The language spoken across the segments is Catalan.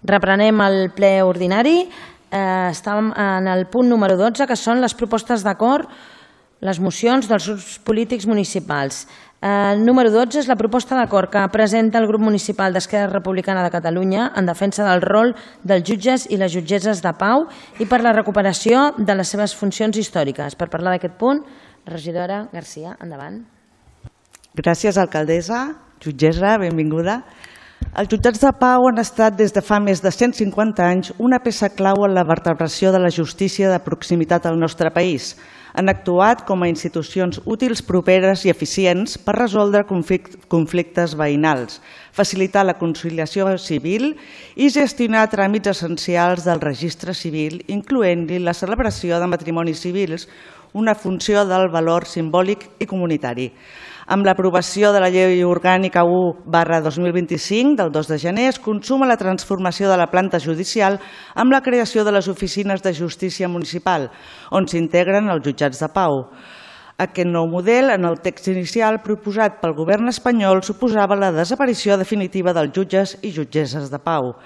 Reprenem el ple ordinari. Estàvem en el punt número 12, que són les propostes d'acord, les mocions dels grups polítics municipals. El número 12 és la proposta d'acord que presenta el grup municipal d'Esquerra Republicana de Catalunya en defensa del rol dels jutges i les jutgesses de pau i per la recuperació de les seves funcions històriques. Per parlar d'aquest punt, regidora Garcia, endavant. Gràcies, alcaldessa. Jutgessa, benvinguda. Els jutjats de pau han estat des de fa més de 150 anys una peça clau en la vertebració de la justícia de proximitat al nostre país. Han actuat com a institucions útils, properes i eficients per resoldre conflictes veïnals, facilitar la conciliació civil i gestionar tràmits essencials del registre civil, incloent-hi la celebració de matrimonis civils, una funció del valor simbòlic i comunitari. Amb l'aprovació de la Llei Orgànica 1/2025 del 2 de gener es consuma la transformació de la planta judicial amb la creació de les oficines de justícia municipal, on s'integren els jutjats de pau. Aquest nou model, en el text inicial proposat pel govern espanyol, suposava la desaparició definitiva dels jutges i jutgesses de pau.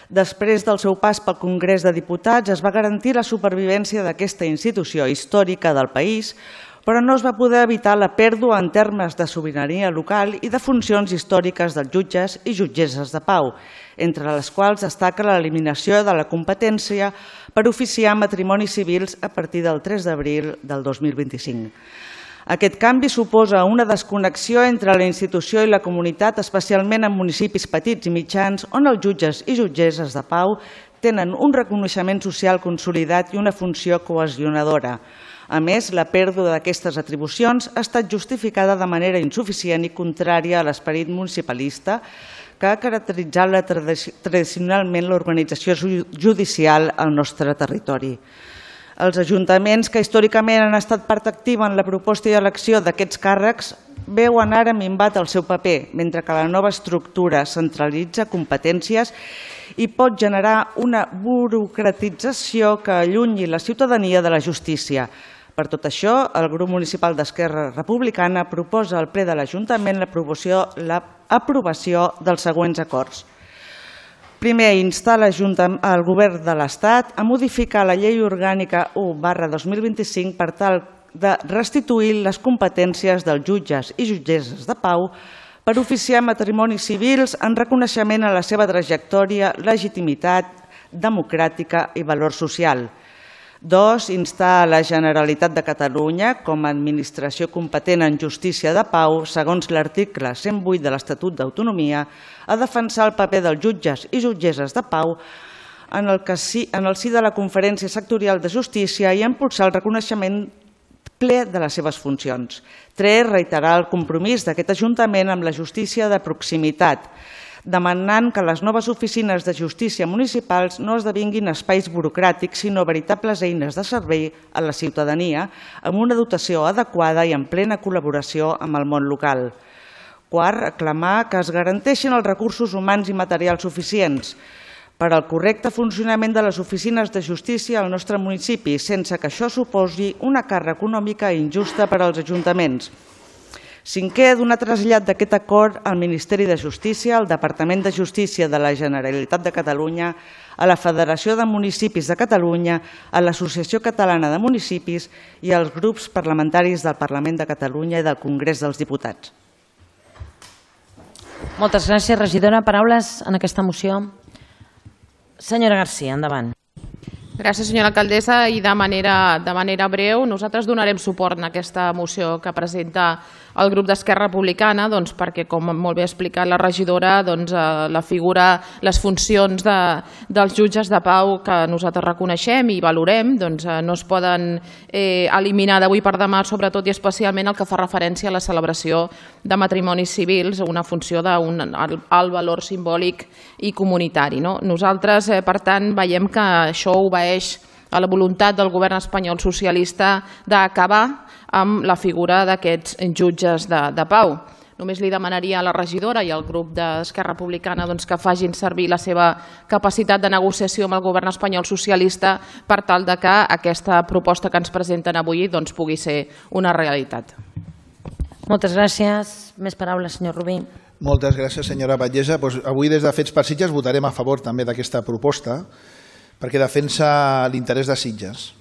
Després del seu pas pel Congrés de Diputats es va garantir la supervivència d'aquesta institució històrica del país, però no es va poder evitar la pèrdua en termes de sobirania local i de funcions històriques dels jutges i jutgesses de pau, entre les quals destaca l'eliminació de la competència per oficiar matrimonis civils a partir del 3 d'abril del 2025. Aquest canvi suposa una desconnexió entre la institució i la comunitat, especialment en municipis petits i mitjans, on els jutges i jutgesses de pau tenen un reconeixement social consolidat i una funció cohesionadora. A més, la pèrdua d'aquestes atribucions ha estat justificada de manera insuficient i contrària a l'esperit municipalista que ha caracteritzat tradicionalment l'organització judicial al nostre territori. Els ajuntaments que històricament han estat part activa en la proposta i elecció d'aquests càrrecs veuen ara minvat el seu paper, mentre que la nova estructura centralitza competències i pot generar una burocratització que allunyi la ciutadania de la justícia. Per tot això, el grup municipal d'Esquerra Republicana proposa al ple de l'Ajuntament l'aprovació dels següents acords. Primer, instar el Govern de l'Estat a modificar la Llei Orgànica 1/2025 per tal de restituir les competències dels jutges i jutgesses de pau per oficiar matrimonis civils en reconeixement a la seva trajectòria, legitimitat democràtica i valor social. 2. Instar la Generalitat de Catalunya, com a administració competent en justícia de pau, segons l'article 108 de l'Estatut d'Autonomia, a defensar el paper dels jutges i jutgesses de pau en el si de la Conferència Sectorial de Justícia i impulsar el reconeixement ple de les seves funcions. 3. Reiterar el compromís d'aquest Ajuntament amb la justícia de proximitat, demanant que les noves oficines de justícia municipals no esdevinguin espais burocràtics, sinó veritables eines de servei a la ciutadania, amb una dotació adequada i en plena col·laboració amb el món local. 4. Reclamar que es garanteixin els recursos humans i materials suficients per al correcte funcionament de les oficines de justícia al nostre municipi, sense que això suposi una càrrega econòmica injusta per als ajuntaments. 5. Donar trasllat d'aquest acord al Ministeri de Justícia, al Departament de Justícia de la Generalitat de Catalunya, a la Federació de Municipis de Catalunya, a l'Associació Catalana de Municipis i als grups parlamentaris del Parlament de Catalunya i del Congrés dels Diputats. Moltes gràcies, regidora. Paraules en aquesta moció? Senyora Garcia, endavant. Gràcies, senyora alcaldessa. I de manera breu, nosaltres donarem suport a aquesta moció que presenta el grup d'Esquerra Republicana perquè, com molt bé ha explicat la regidora, la figura, les funcions dels jutges de pau que nosaltres reconeixem i valorem no es poden eliminar d'avui per demà, sobretot i especialment el que fa referència a la celebració de matrimonis civils, una funció d'un alt valor simbòlic i comunitari. Nosaltres, per tant, veiem que això obeeix a la voluntat del govern espanyol socialista d'acabar amb la figura d'aquests jutges de pau. Només li demanaria a la regidora i al grup d'Esquerra Republicana que facin servir la seva capacitat de negociació amb el govern espanyol socialista per tal que aquesta proposta que ens presenten avui pugui ser una realitat. Moltes gràcies. Més paraules, senyor Rubí. Moltes gràcies, senyora Batllessa. Avui, des de Fets per Sitges, votarem a favor també d'aquesta proposta perquè defensa l'interès de Sitges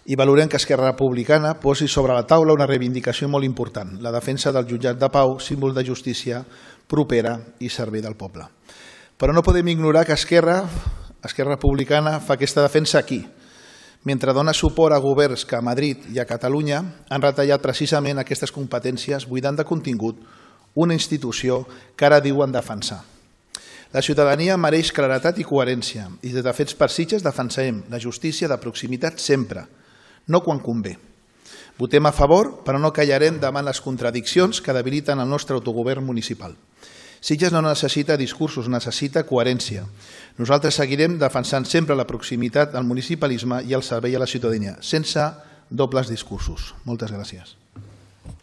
i valorem que Esquerra Republicana posi sobre la taula una reivindicació molt important, la defensa del jutjat de pau, símbol de justícia propera i servei del poble. Però no podem ignorar que Esquerra Republicana fa aquesta defensa aquí, mentre dona suport a governs que a Madrid i a Catalunya han retallat precisament aquestes competències, buidant de contingut una institució que ara diuen defensar. La ciutadania mereix claretat i coherència i des de Fets per Sitges defensarem la justícia de proximitat sempre, no quan convé. Votem a favor, però no callarem davant les contradiccions que debiliten el nostre autogovern municipal. Sitges no necessita discursos, necessita coherència. Nosaltres seguirem defensant sempre la proximitat al municipalisme i el servei a la ciutadania, sense dobles discursos. Moltes gràcies.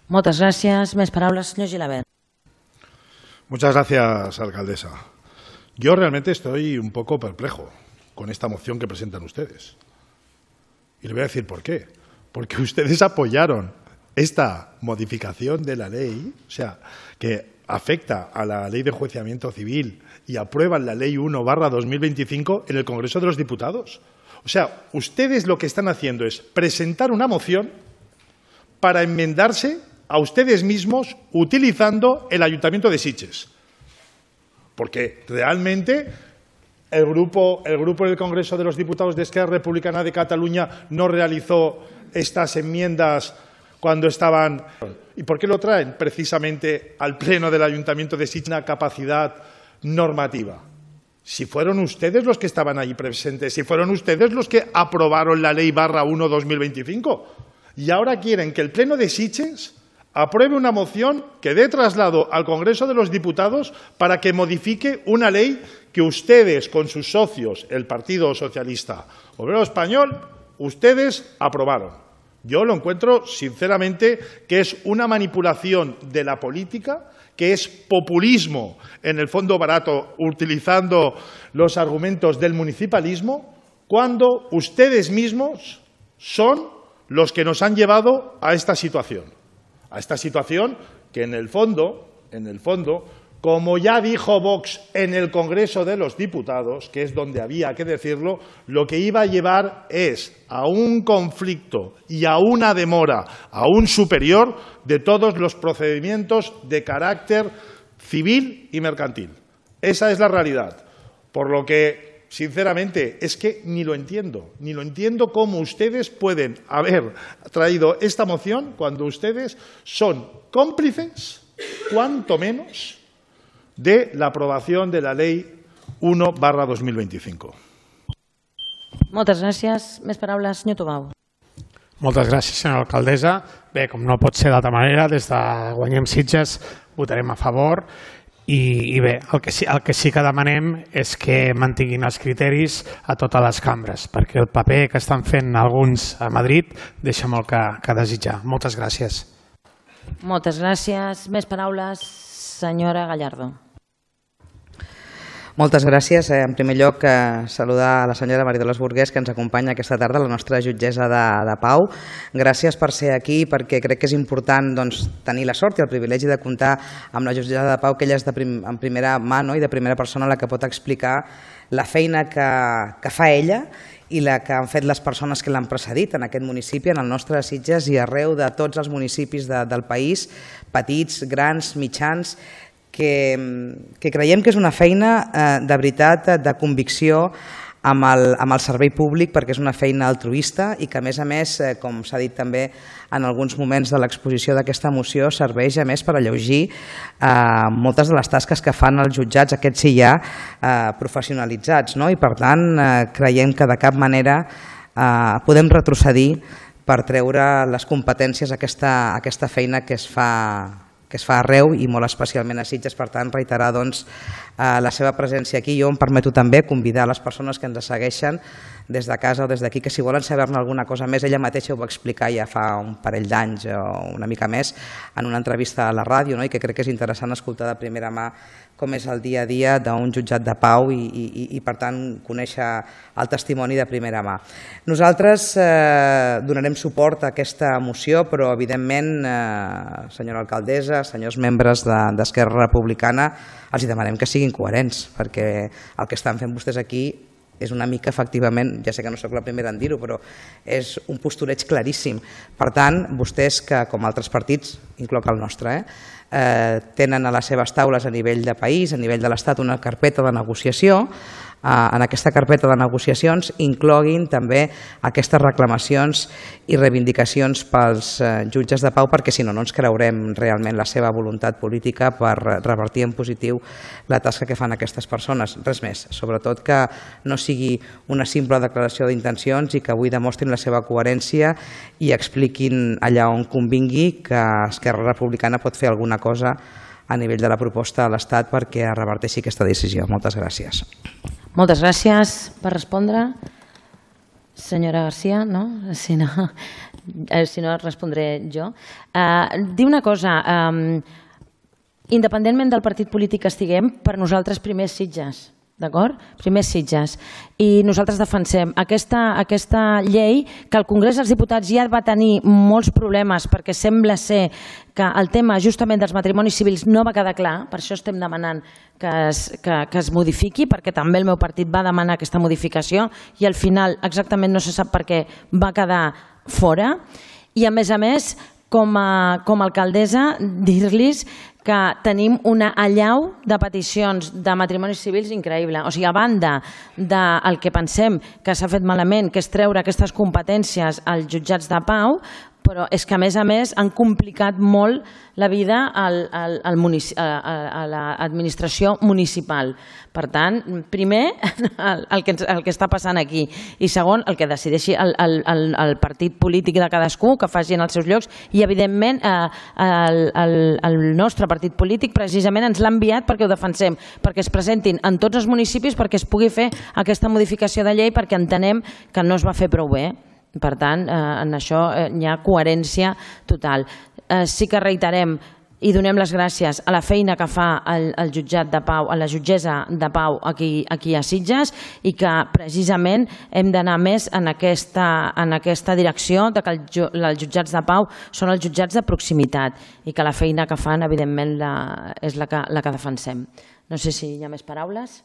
Moltes gràcies. Més paraules, senyor Gilabert. Muchas gracias, alcaldesa. Yo realmente estoy un poco perplejo con esta moción que presentan ustedes. Y le voy a decir por qué. Porque ustedes apoyaron esta modificación de la ley, o sea, que afecta a la Ley de Enjuiciamiento Civil y aprueban la Ley 1/2025 en el Congreso de los Diputados. O sea, ustedes lo que están haciendo es presentar una moción para enmendarse a ustedes mismos utilizando el Ayuntamiento de Sitges. Porque realmente el grupo del Congreso de los Diputados de Esquerra Republicana de Cataluña no realizó estas enmiendas cuando estaban. ¿Y por qué lo traen? Precisamente al Pleno del Ayuntamiento de Sitges una capacidad normativa. Si fueron ustedes los que estaban ahí presentes, si fueron ustedes los que aprobaron la Ley /1/2025 y ahora quieren que el Pleno de Sitges apruebe una moción que dé traslado al Congreso de los Diputados para que modifique una ley que ustedes, con sus socios, el Partido Socialista Obrero Español, ustedes aprobaron. Yo lo encuentro, sinceramente, que es una manipulación de la política, que es populismo, en el fondo barato, utilizando los argumentos del municipalismo, cuando ustedes mismos son los que nos han llevado a esta situación. A esta situación que en el fondo, como ya dijo Vox en el Congreso de los Diputados, que es donde había que decirlo, lo que iba a llevar es a un conflicto y a una demora aún superior de todos los procedimientos de carácter civil y mercantil. Esa es la realidad. Por lo que, sinceramente, es que ni lo entiendo cómo ustedes pueden haber traído esta moción cuando ustedes son cómplices, cuanto menos, de la aprovación de la Ley 1/2025. Moltes gràcies. Més paraules, senyor Tobau. Moltes gràcies, senyora alcaldessa. Bé, com no pot ser d'altra manera, des de Guanyem Sitges votarem a favor i bé, el que sí que demanem és que mantinguin els criteris a totes les cambres, perquè el paper que estan fent alguns a Madrid deixa molt que desitjar. Moltes gràcies. Moltes gràcies. Més paraules, senyora Gallardo. Moltes gràcies. En primer lloc, saludar a la senyora Maridolors Burgués, que ens acompanya aquesta tarda, la nostra jutgessa de pau. Gràcies per ser aquí, perquè crec que és important tenir la sort i el privilegi de comptar amb la jutgessa de pau, que ella és en primera mà i de primera persona la que pot explicar la feina que fa ella i la que han fet les persones que l'han precedit en aquest municipi, en el nostre Sitges i arreu de tots els municipis del país, petits, grans, mitjans, que creiem que és una feina de veritat, de convicció amb el servei públic, perquè és una feina altruista i que, a més, com s'ha dit també en alguns moments de l'exposició d'aquesta moció, serveix a més per alleujar moltes de les tasques que fan els jutjats, aquests sí ja professionalitzats. I per tant, creiem que de cap manera podem retrocedir per treure les competències a aquesta feina que es fa arreu i molt especialment a Sitges. Per tant, reiterar la seva presència aquí. Jo em permeto també convidar les persones que ens segueixen des de casa o des d'aquí, que si volen saber-ne alguna cosa més, ella mateixa ho va explicar ja fa un parell d'anys o una mica més en una entrevista a la ràdio, i que crec que és interessant escoltar de primera mà com és el dia a dia d'un jutjat de pau i per tant, conèixer el testimoni de primera mà. Nosaltres donarem suport a aquesta moció, però evidentment, senyora alcaldessa, senyors membres d'Esquerra Republicana, els demanem que siguin coherents, perquè el que estan fent vostès aquí és una mica, efectivament, ja sé que no sóc la primera en dir-ho, però és un postureig claríssim. Per tant, vostès, que com altres partits, incloc el nostre, tenen a les seves taules a nivell de país, a nivell de l'Estat, una carpeta de negociació. En aquesta carpeta de negociacions incloguin també aquestes reclamacions i reivindicacions pels jutges de pau, perquè si no, no ens creurem realment la seva voluntat política per revertir en positiu la tasca que fan aquestes persones. Res més, sobretot que no sigui una simple declaració d'intencions i que avui demostrin la seva coherència i expliquin allà on convingui que Esquerra Republicana pot fer alguna cosa a nivell de la proposta a l'Estat perquè es reverteixi aquesta decisió. Moltes gràcies. Moltes gràcies per respondre. Senyora García, no? Si no respondré jo. Dir una cosa, independentment del partit polític que estiguem, per nosaltres primer Sitges, d'acord? Primer Sitges. I nosaltres defensem aquesta llei que el Congrés dels Diputats ja va tenir molts problemes perquè sembla ser que el tema justament dels matrimonis civils no va quedar clar, per això estem demanant que es modifiqui, perquè també el meu partit va demanar aquesta modificació i al final exactament no se sap per què va quedar fora. I a més, com a alcaldessa, dir-los que tenim una allau de peticions de matrimonis civils increïble. O sigui, a banda del que pensem que s'ha fet malament, que és treure aquestes competències als jutjats de pau, però és que a més han complicat molt la vida a l'administració municipal. Per tant, primer, el que està passant aquí, i segon, el que decideixi el partit polític de cadascú, que faci en els seus llocs, i evidentment el nostre partit polític precisament ens l'ha enviat perquè ho defensem, perquè es presentin en tots els municipis perquè es pugui fer aquesta modificació de llei, perquè entenem que no es va fer prou bé. Per tant, en això hi ha coherència total. Sí que reiterem i donem les gràcies a la feina que fa el jutjat de pau, a la jutgessa de pau aquí a Sitges, i que precisament hem d'anar més en aquesta direcció de que els jutjats de pau són els jutjats de proximitat i que la feina que fan, evidentment, és la que defensem. No sé si hi ha més paraules.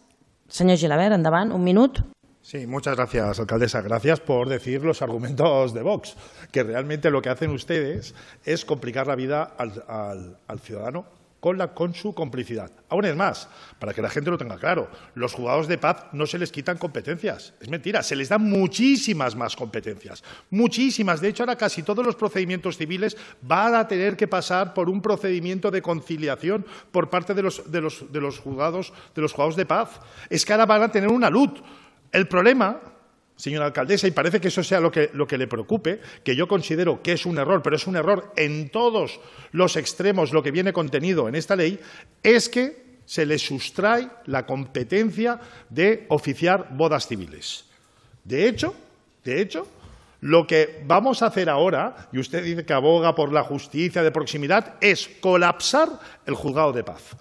Senyor Gilabert, endavant, un minut. Sí, muchas gracias, alcaldesa. Gracias por decir los argumentos de Vox, que realmente lo que hacen ustedes es complicar la vida al ciudadano con su complicidad. Aún es más, para que la gente lo tenga claro, los juzgados de paz no se les quitan competencias. Es mentira, se les dan muchísimas más competencias. Muchísimas. De hecho, ahora casi todos los procedimientos civiles van a tener que pasar por un procedimiento de conciliación por parte de los juzgados de paz. Es que ahora van a tener una LUT. El problema, señora alcaldesa, y parece que eso sea lo que le preocupe, que yo considero que es un error, pero es un error en todos los extremos lo que viene contenido en esta ley, es que se le sustrae la competencia de oficiar bodas civiles. De hecho, lo que vamos a hacer ahora, y usted dice que aboga por la justicia de proximidad, es colapsar el juzgado de paz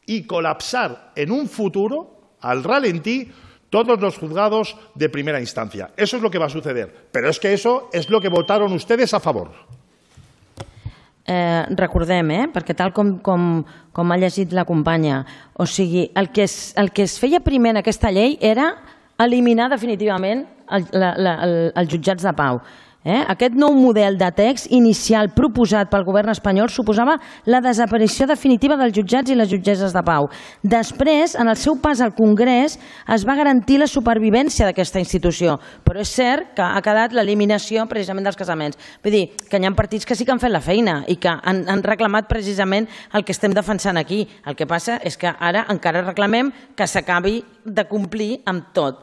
y colapsar en un futuro, al ralentí, todos los juzgados de primera instancia. Eso es lo que va a suceder. Pero es que eso es lo que votaron ustedes a favor. Recordem, perquè tal com ha llegit la companya, o sigui, el que es feia primer en aquesta llei era eliminar definitivament els jutjats de pau. Aquest nou model de text inicial proposat pel govern espanyol suposava la desaparició definitiva dels jutjats i les jutgesses de pau. Després, en el seu pas al Congrés, es va garantir la supervivència d'aquesta institució, però és cert que ha quedat l'eliminació precisament dels casaments. Vull dir, que hi ha partits que sí que han fet la feina i que han reclamat precisament el que estem defensant aquí. El que passa és que ara encara reclamem que s'acabi de complir amb tot,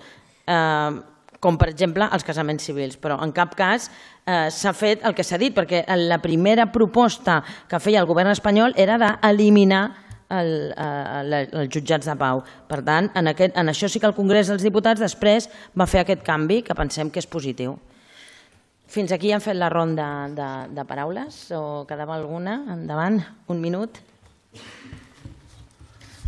com per exemple els casaments civils, però en cap cas s'ha fet el que s'ha dit, perquè la primera proposta que feia el govern espanyol era d'eliminar els jutjats de pau. Per tant, en això sí que el Congrés dels Diputats després va fer aquest canvi que pensem que és positiu. Fins aquí hem fet la ronda de paraules o quedava alguna? Endavant, un minut.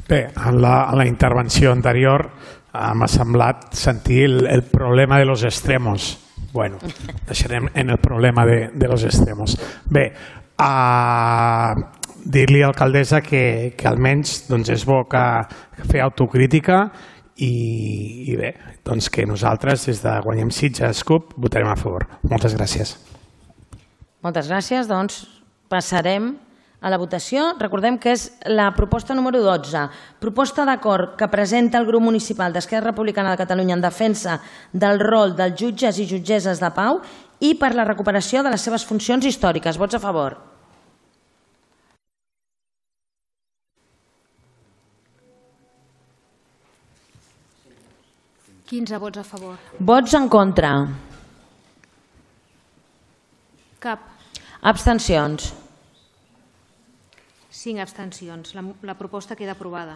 Bé, en la intervenció anterior m'ha semblat sentir el problema de los extremos. Bueno, deixarem en el problema de los extremos. Bé, dir-li a l'alcaldessa que almenys és bo que fer autocrítica i bé, doncs que nosaltres des de Guanyem Sitges CUP votarem a favor. Moltes gràcies. Moltes gràcies. Doncs passarem a la votació. Recordem que és la proposta número 12, proposta d'acord que presenta el grup municipal d'Esquerra Republicana de Catalunya en defensa del rol dels jutges i jutgesses de pau i per la recuperació de les seves funcions històriques. Vots a favor. ...15 vots a favor. Vots en contra. Cap. Abstencions. 5 abstencions. La proposta queda aprovada.